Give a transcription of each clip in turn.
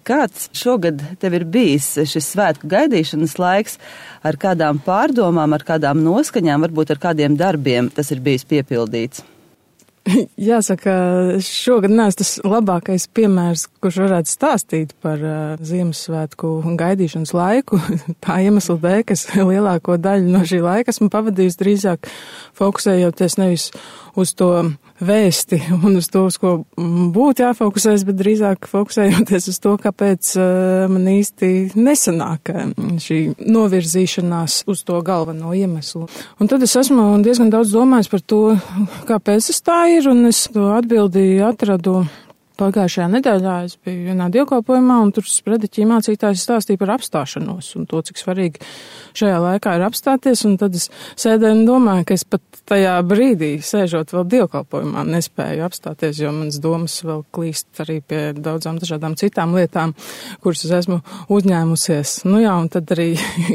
Kāds šogad tev ir bijis šis svētku gaidīšanas laiks, ar kādām pārdomām, ar kādām noskaņām, varbūt ar kādiem darbiem tas ir bijis piepildīts? Jāsaka, šogad neesmu tas labākais piemērs, kurš varētu stāstīt par Ziemassvētku gaidīšanas laiku. Tā iemesla dēļ, ka lielāko daļu no šī laika esmu pavadījusi drīzāk fokusējoties nevis uz to vēsti un uz to, uz ko būtu jāfokusēs, bet drīzāk fokusējoties uz to, kāpēc man īsti nesanāk šī novirzīšanās uz to galveno iemeslu. Un tad es esmu diezgan daudz domājis par to, kāpēc tas tā ir, un es to atbildi atradu pagājušajā nedēļā. Es biju vienā dievkalpojumā, un tur sprediķī mācītājs stāstīja par apstāšanos un to, cik svarīgi šajā laikā ir apstāties, un tad es sēdēju un domāju, ka es pat tajā brīdī, sēžot vēl dievkalpojumā, nespēju apstāties, jo manas domas vēl klīst arī pie daudzām dažādām citām lietām, kuras es esmu uzņēmusies. Nu jā, un tad arī,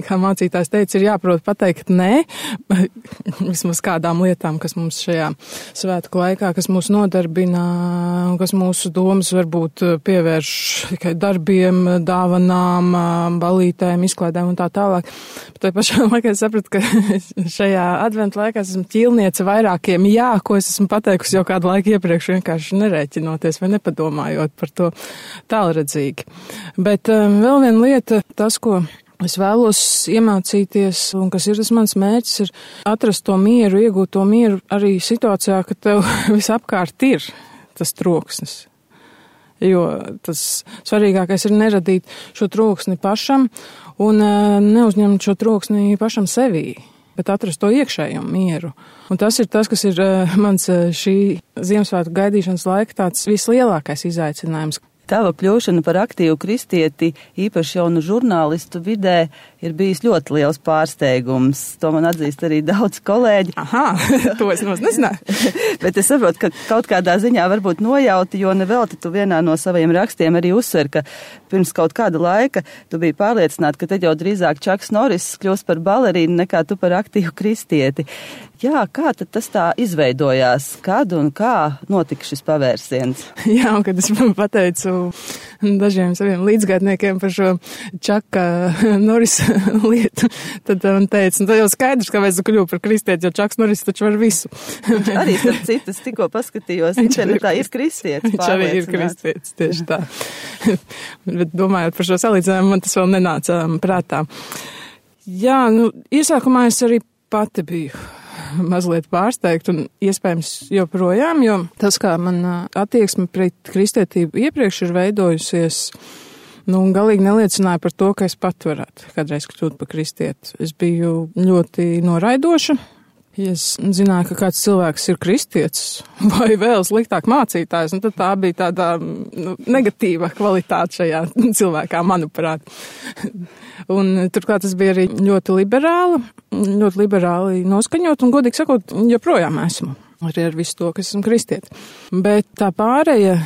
kā mācītājs teica, ir jāprot pateikt nē, vismaz kādām lietām, kas mums šajā svētku laikā, kas mūs nodarbina, kas mūsu domas varbūt pievērš tikai darbiem, dāvanām, balītēm, izklaidēm un tā tālāk. Bet tai pašā laikā es sapratu, ka šajā adventu laikā esmu ķīlniece vairākiem jā, ko es esmu pateikusi jau kādu laiku iepriekš, vienkārši nerēķinoties vai nepadomājot par to tālredzīgi. Bet vēl viena lieta, tas, ko es vēlos iemācīties, un kas ir tas mans mērķis, ir atrast to mieru, iegūt to mieru arī situācijā, ka tev visapkārt ir tas troksnis. Jo tas svarīgākais ir neradīt šo troksni pašam un neuzņemt šo troksni pašam sevī, bet atrast to iekšējo mieru. Un tas ir tas, kas ir mans šī Ziemassvētku gaidīšanas laika tāds vislielākais izaicinājums. Tava kļūšana par aktīvu kristieti, īpaši jaunu žurnālistu vidē, ir bijis ļoti liels pārsteigums. To man atzīst arī daudz kolēģi. Aha, to es nezināju. Bet es saprotu, ka kaut kādā ziņā varbūt nojauti, jo nevelti tu vienā no saviem rakstiem arī uzsver, ka pirms kaut kāda laika tu biji pārliecināta, ka te jau drīzāk Čaks Noriss kļūst par balerīnu nekā tu par aktīvu kristieti. Jā, kā tad tas tā izveidojās? Kad un kā notika šis pavērsiens? Jā, un kad es pateicu dažiem saviem līdzgaitniekiem par šo Čaka Norisa lietu, tad man teica, tad jau skaidrs, kāpēc tu kļuvu par kristieti, jo Čaks Noris taču var visu. Viņš arī, starp citu, es tikko paskatījos, internetā ir kristietis. Viņš arī ir kristietis, tieši tā. Bet domājot par šo salīdzinājumu, man tas vēl nenāca prātā. Jā, iesākumā es arī pati biju mazliet pārsteigt un iespējams joprojām, jo tas, kā man attieksme pret kristietību iepriekš ir veidojusies, galīgi neliecināja par to, ka es pat varētu kādreiz kļūt par kristieti. Es biju ļoti noraidoša. Ja es zināju, ka kāds cilvēks ir kristietis vai vēl sliktāk mācītājs, tad tā bija tāda negatīva kvalitāte šajā cilvēkā, manuprāt. Un turklāt tas bija arī ļoti liberāli noskaņot, un godīgi sakot, joprojām esmu. Arī ar visu to, ka esmu kristieti. Bet tā pārēja,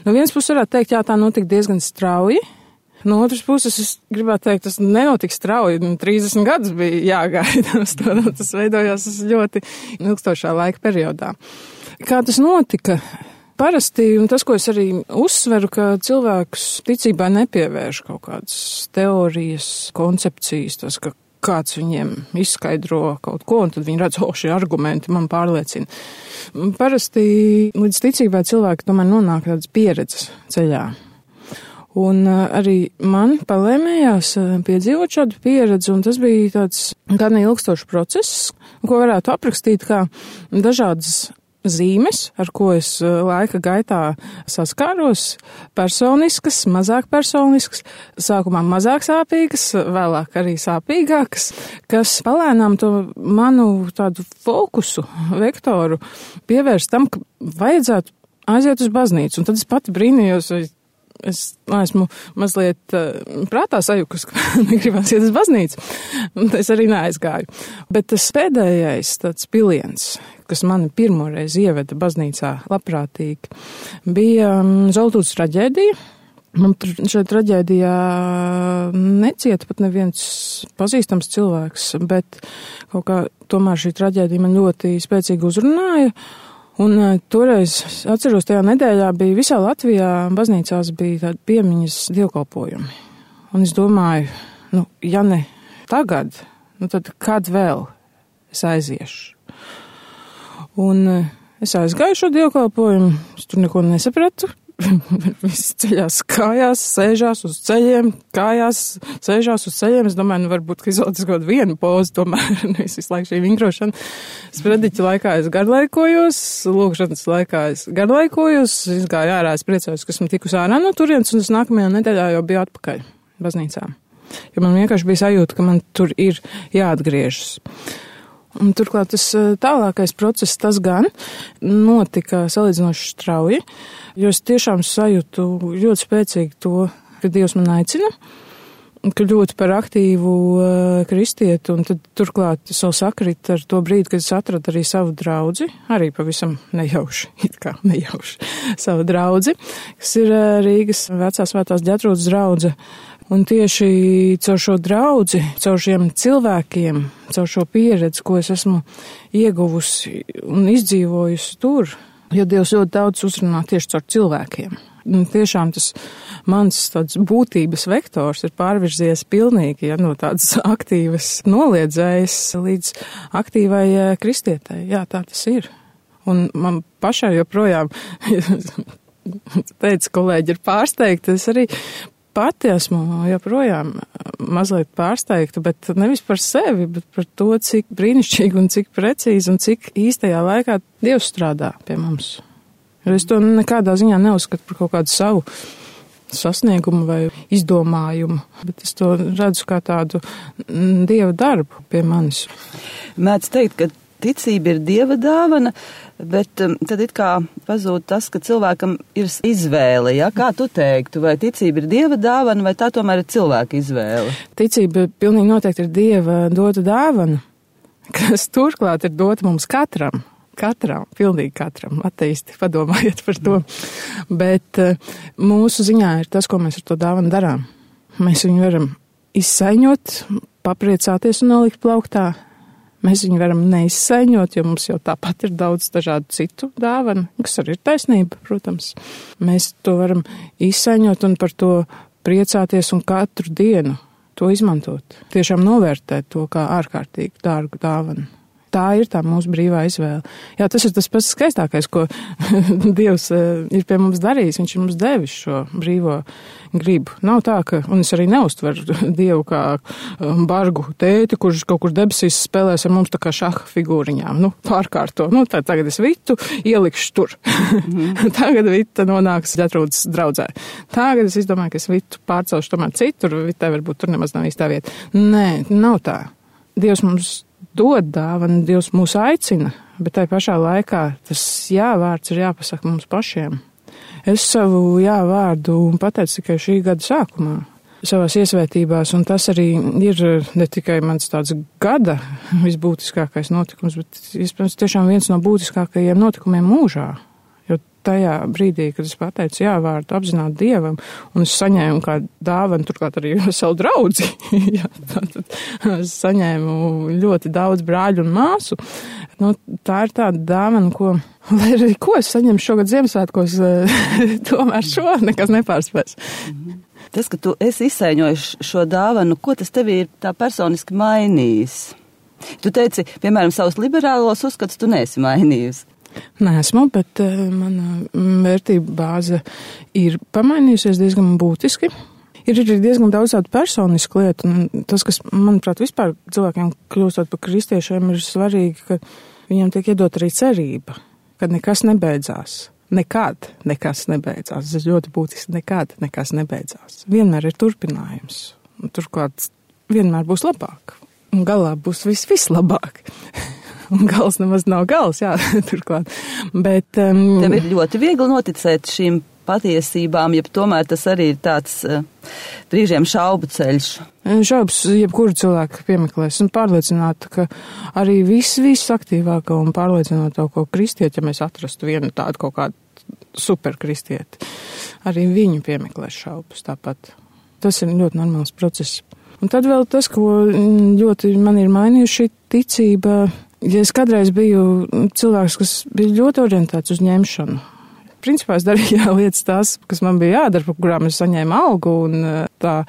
no vienas puses varētu teikt, jā, tā notika diezgan strauji. No otras puses, es gribētu teikt, tas nenotika strauji, 30 gadus bija jāgaida uz to, tas veidojās ļoti ilgstošā laika periodā. Kā tas notika? Parasti, un tas, ko es arī uzsveru, ka cilvēkus ticībā nepievērš kaut kādas teorijas, koncepcijas, tas, ka kāds viņiem izskaidro kaut ko, un tad viņi redz, šie argumenti man pārliecina. Parasti līdz ticībai cilvēki tomēr nonāk tādas pieredzes ceļā. Un arī man palēmējās piedzīvot šādu pieredzi, un tas bija tāds gan ilgstošs process, ko varētu aprakstīt kā dažādas zīmes, ar ko es laika gaitā saskāros, personiskas, mazāk personiskas, sākumā mazāk sāpīgas, vēlāk arī sāpīgākas, kas palēnām to manu tādu fokusu, vektoru pievērst tam, ka vajadzētu aiziet uz baznīcu. Un tad es pati brīnījos, es esmu mazliet prātā sajukus, ka negribās iet uz baznīcu, un es arī neaizgāju. Bet tas pēdējais tāds piliens, kas mani pirmoreiz ieveda baznīcā labprātīgi, bija Zoltūdas traģēdija. Man šajā traģēdijā necieta pat neviens pazīstams cilvēks, bet kaut kā tomēr šī traģēdija man ļoti spēcīgi uzrunāja. Un toreiz, atceros, tajā nedēļā bija visā Latvijā, baznīcās bija tādi piemiņas dievkalpojumi. Un es domāju, ja ne tagad, tad kad vēl es aiziešu? Un es aizgāju šo dievkalpojumu, es tur neko nesapratu. Visi ceļās kājās, sēžās uz ceļiem, Es domāju, varbūt, ka izvēlēties kaut vienu pozu, tomēr nevis visu laiku šī vingrošana. Sprediķa laikā es garlaikojos, lūkšanas laikā es garlaikojos, es gāju ārā, es priecājos, ka esmu tikus ārā no turienes, un es nākamajā nedēļā jau biju atpakaļ baznīcā. Jo man vienkārši bija sajūta, ka man tur ir jāatgriežas. Un turklāt tas tālākais process, tas gan notika salīdzinoši strauji, jo es tiešām sajūtu ļoti spēcīgi to, ka Dievs man aicina, ka ļoti par aktīvu kristieti, un tad turklāt tas vēl sakrit ar to brīdi, kad es atradu arī savu draudzi, arī pavisam nejauši, savu draudzi, kas ir Rīgas vecā svētās Ģetrūdas draudze. Un tieši caur šo draudzi, caur šiem cilvēkiem, caur šo pieredzi, ko es esmu ieguvusi un izdzīvojusi tur, jo Dievs ļoti daudz uzrunā tieši caur cilvēkiem. Un tiešām tas mans tāds būtības vektors ir pārvirzies pilnīgi, no tādas aktīvas noliedzējas līdz aktīvai kristietai. Jā, tā tas ir. Un man pašai joprojām, teica kolēģi, ir pārsteigta, es arī pati esmu joprojām mazliet pārsteigta, bet nevis par sevi, bet par to, cik brīnišķīgi un cik precīzi un cik īstajā laikā Dievs strādā pie mums. Jo es to nekādā ziņā neuzskatu par kaut kādu savu sasniegumu vai izdomājumu, bet es to redzu kā tādu Dieva darbu pie manis. Mēdz teikt, ka ticība ir Dieva dāvana, bet tad it kā pazūd tas, ka cilvēkam ir izvēle. Ja? Kā tu teiktu, vai ticība ir Dieva dāvana, vai tā tomēr ir cilvēka izvēle? Ticība pilnīgi noteikti ir Dieva dota dāvana, kas turklāt ir dota mums katram, pilnīgi katram. Ateisti, padomājiet par to. Bet mūsu ziņā ir tas, ko mēs ar to dāvanu darām. Mēs viņu varam izsaiņot, papriecāties un nolikt plauktā. Mēs viņu varam neizsaiņot, jo mums jau tāpat ir daudz dažādu citu dāvanu, kas arī ir taisnība, protams. Mēs to varam izsaiņot un par to priecāties un katru dienu to izmantot. Tiešām novērtēt to kā ārkārtīgi dārgu dāvanu. Tā ir tā mūsu brīvā izvēle. Jā, tas ir tas pats skaistākais, ko Dievs ir pie mums darījis. Viņš ir mums devis šo brīvo gribu. Nav tā, ka, un es arī neuztveru Dievu kā bargu tēti, kurš kaut kur debesīs spēlēs ar mums tā kā šaha figūriņām. Pārkārto. Tagad es Vitu ielikšu tur. Tagad Vita nonāks Ģetrūdas draudzē. Tagad es izdomāju, ka es Vitu pārcelšu tomēr citur. Vitai varbūt tur nemaz nav īstā vieta. Nē, nav tā. Dievs mums dod dāvanu, Dievs mūs aicina, bet tai pašā laikā tas jā-vārds ir jāpasaka mums pašiem. Es savu jā-vārdu pateicu tikai šī gada sākumā, savās iesvētībās, un tas arī ir ne tikai mans tāds gada visbūtiskākais notikums, bet, iespējams, tiešām viens no būtiskākajiem notikumiem mūžā. Jo tajā brīdī, kad es pateicu jā-vārdu apzināt Dievam, un es saņēmu kā dāvanu, turklāt arī savu draudzi, jā, tad es saņēmu ļoti daudz brāļu un māsu. Tā ir tāda dāvana, lai arī ko es saņemu šogad Ziemassvētkos, tomēr šo nekas nepārspēs. Tas, ka tu esi izsaiņojis šo dāvanu, ko tas tev ir tā personiski mainījis? Tu teici, piemēram, savus liberālos uzskatus tu neesi mainījusi. Neesmu, bet mana vērtība bāze ir pamainījusies diezgan būtiski. Ir arī diezgan daudz tādu personisku lietu, un tas, kas, manuprāt, vispār cilvēkiem kļūstot par kristiešiem, ir svarīgi, ka viņiem tiek iedot arī cerība, ka nekas nebeidzās. Nekad nekas nebeidzās. Tas ir ļoti būtiski. Nekad nekas nebeidzās. Vienmēr ir turpinājums. Un turklāt vienmēr būs labāk. Un galā būs vislabāk. Un gals nemaz nav gals, jā, turklāt. Bet, tev ir ļoti viegli noticēt šīm patiesībām, ja tomēr tas arī ir tāds brīžiem šaubu ceļš. Šaubas jebkuru cilvēku piemeklēs un pārliecināta, ka arī visaktīvāko un pārliecinātāko kristieti, ja mēs atrastu vienu tādu kaut kādu superkristieti, arī viņu piemeklēs šaubas tāpat. Tas ir ļoti normāls process. Un tad vēl tas, ko ļoti man ir mainījuši ticība, ja es kādreiz biju cilvēks, kas bija ļoti orientēts uz ņemšanu. Principā es darīju lietas tās, kas man bija jādara, par kurām es saņēmu algu, un tā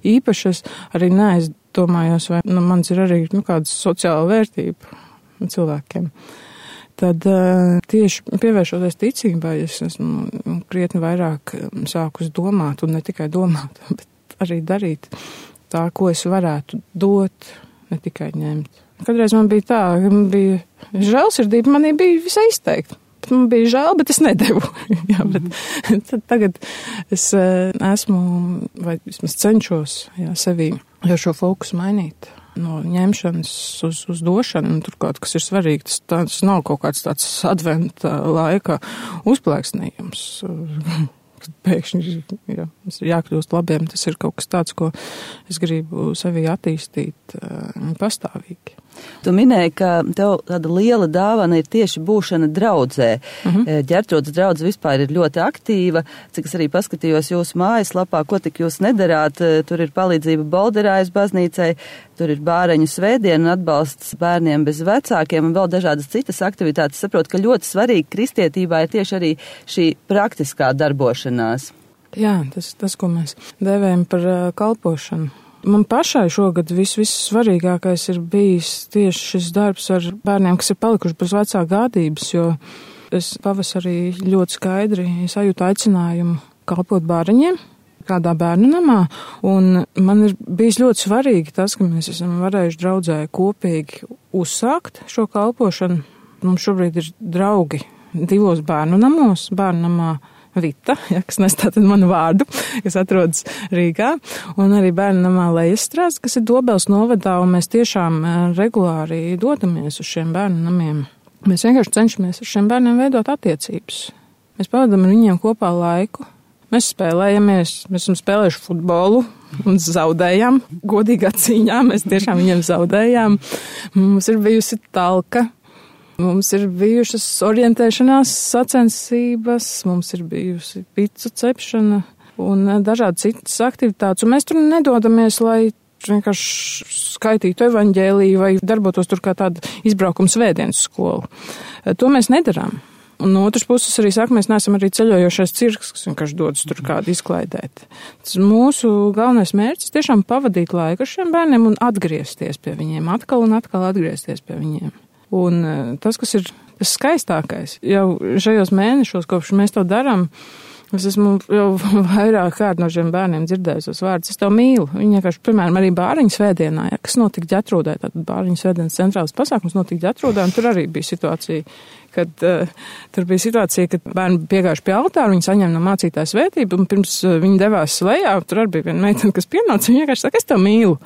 īpaši es arī neaizdomājos, vai mans ir arī kāda sociāla vērtība cilvēkiem. Tad tieši pievēršoties ticībai, es esmu krietni vairāk sākus domāt, un ne tikai domāt, bet arī darīt tā, ko es varētu dot, ne tikai ņemt. Kādreiz man bija tā, ka man bija žēlsirdība, manī bija visai izteikta. Man bija žēl, bet es nedevu. Jā, bet tagad es esmu, vai vismaz cenšos sevī šo fokusu mainīt. No ņemšanas uz došanu, un turklāt, kas ir svarīgi, tas nav kaut kāds tāds adventa laika uzplēksnījums. Pēkšņi mums ir jākļūst labiem, tas ir kaut kas tāds, ko es gribu sevī attīstīt pastāvīgi. Tu minēji, ka tev tāda liela dāvana ir tieši būšana draudzē. Ģertrūdes draudze vispār ir ļoti aktīva, cik es arī paskatījos jūsu mājaslapā, ko tik jūs nedarāt. Tur ir palīdzība Bolderājas baznīcai, tur ir bāreņu svētdiena un atbalsts bērniem bez vecākiem un vēl dažādas citas aktivitātes. Saprotu, ka ļoti svarīgi kristietībā ir tieši arī šī praktiskā darbošanās. Jā, tas ko mēs dēvējam par kalpošanu. Man pašai šogad vissvarīgākais ir bijis tieši šis darbs ar bērniem, kas ir palikuši bez vecā gādības, jo es pavasarī ļoti skaidri sajūtu aicinājumu kalpot bāriņiem kādā bērnu namā, un man ir bijis ļoti svarīgi tas, ka mēs esam varējuši draudzē kopīgi uzsākt šo kalpošanu. Mums šobrīd ir draugi 2 bērnu namos, bērnu namā Vita, kas nes tātad manu vārdu, kas atrodas Rīgā, un arī bērnu namā Lejastrāds, kas ir Dobeles novadā, un mēs tiešām regulāri dodamies uz šiem bērnu namiem. Mēs vienkārši cenšamies ar šiem bērniem veidot attiecības. Mēs pavadām ar viņiem kopā laiku. Mēs spēlējamies, mēs esam spēlējuši futbolu un zaudējām. Godīgā cīņā mēs tiešām viņiem zaudējām. Mums ir bijusi talka. Mums ir bijušas orientēšanās sacensības, mums ir bijusi picu cepšana un dažādi citas aktivitātes. Un mēs tur nedodamies, lai vienkārši skaitītu evaņģēliju vai darbotos tur kā tāda izbraukuma svētdienas skola. To mēs nedarām. Un no otras puses arī saka, mēs neesam arī ceļojošais cirks, kas vienkārši dodas tur kādu izklaidēt. Tas mūsu galvenais mērķis tiešām pavadīt laiku ar šiem bērniem un atgriezties pie viņiem, atkal un atkal atgriezties pie viņiem. Un tas, kas ir tas skaistākais, jau šajos mēnešos, kopš mēs to darām, es esmu jau vairāk kārt no šiem bērniem dzirdējis tos vārdus, es tev mīlu. Viņi vienkārši, piemēram, arī bāriņu svētdienā, kas notika Ģertrūdē, tātad bāriņu svētdienas centrāls pasākums notika Ģertrūdē, un tur arī bija situācija, kad bērni piegājuši pie altāra, viņi saņem no mācītāja svētību, un pirms viņi devās lejā, tur arī bija viena meitene, kas pienāca, viņa vienkārši saka, es tev mīlu.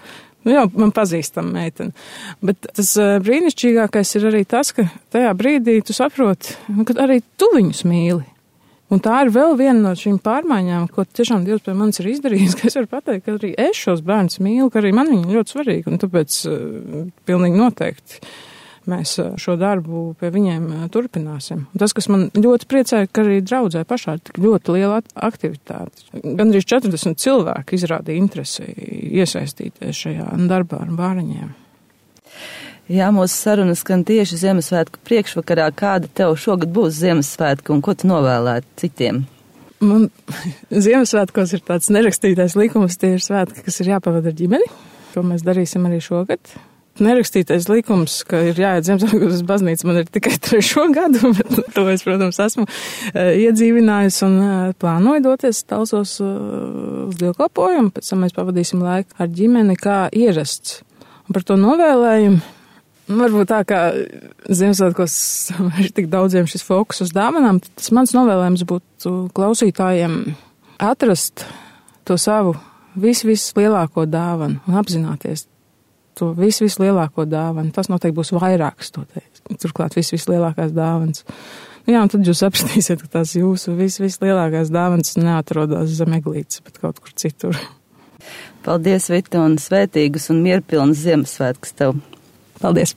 Jā, man pazīstam meiteni. Bet tas brīnišķīgākais ir arī tas, ka tajā brīdī tu saproti, ka arī tu viņus mīli. Un tā ir vēl viena no šīm pārmaiņām, ko tiešām Dievs pie manis ir izdarījis, ka es varu pateikt, ka arī es šos bērnus mīlu, ka arī man viņi ļoti svarīgi, un tāpēc pilnīgi noteikti mēs šo darbu pie viņiem turpināsim. Un tas, kas man ļoti priecēja, ka arī draudzē pašā ir tik ļoti liela aktivitāte. Gandrīz 40 cilvēki izrādīja interesi iesaistīties šajā darbā ar bāriņiem. Jā, mūsu sarunas skan tieši Ziemassvētku priekšvakarā. Kāda tev šogad būs Ziemassvētku un ko tu novēlētu citiem? Man Ziemassvētkos ir tāds nerakstītais likums, tie ir svētki, kas ir jāpavada ar ģimeni. To mēs darīsim arī šogad. Nerakstītais likums, ka ir jāiet Ziemassvētkos uz baznīcu, man ir tikai 3. gadu, bet to es, protams, esmu iedzīvinājusi un plānoju doties talsos uz dievkalpojumu, pēc tam mēs pavadīsim laiku ar ģimeni kā ierasts. Un par to novēlējumu, varbūt tā kā Ziemassvētkos ir tik daudziem šis fokus uz dāvanām, tas mans novēlējums būtu klausītājiem atrast to savu vislielāko dāvanu un apzināties to vislielāko dāvanu. Tas noteikti būs vairākas, turklāt vislielākās dāvanas. Jā, un tad jūs sapratīsiet, ka tās jūsu vislielākās dāvanas neatrodas zem eglītes, bet kaut kur citur. Paldies, Vita, un svētīgus un mierpilnas Ziemassvētkus tev. Paldies!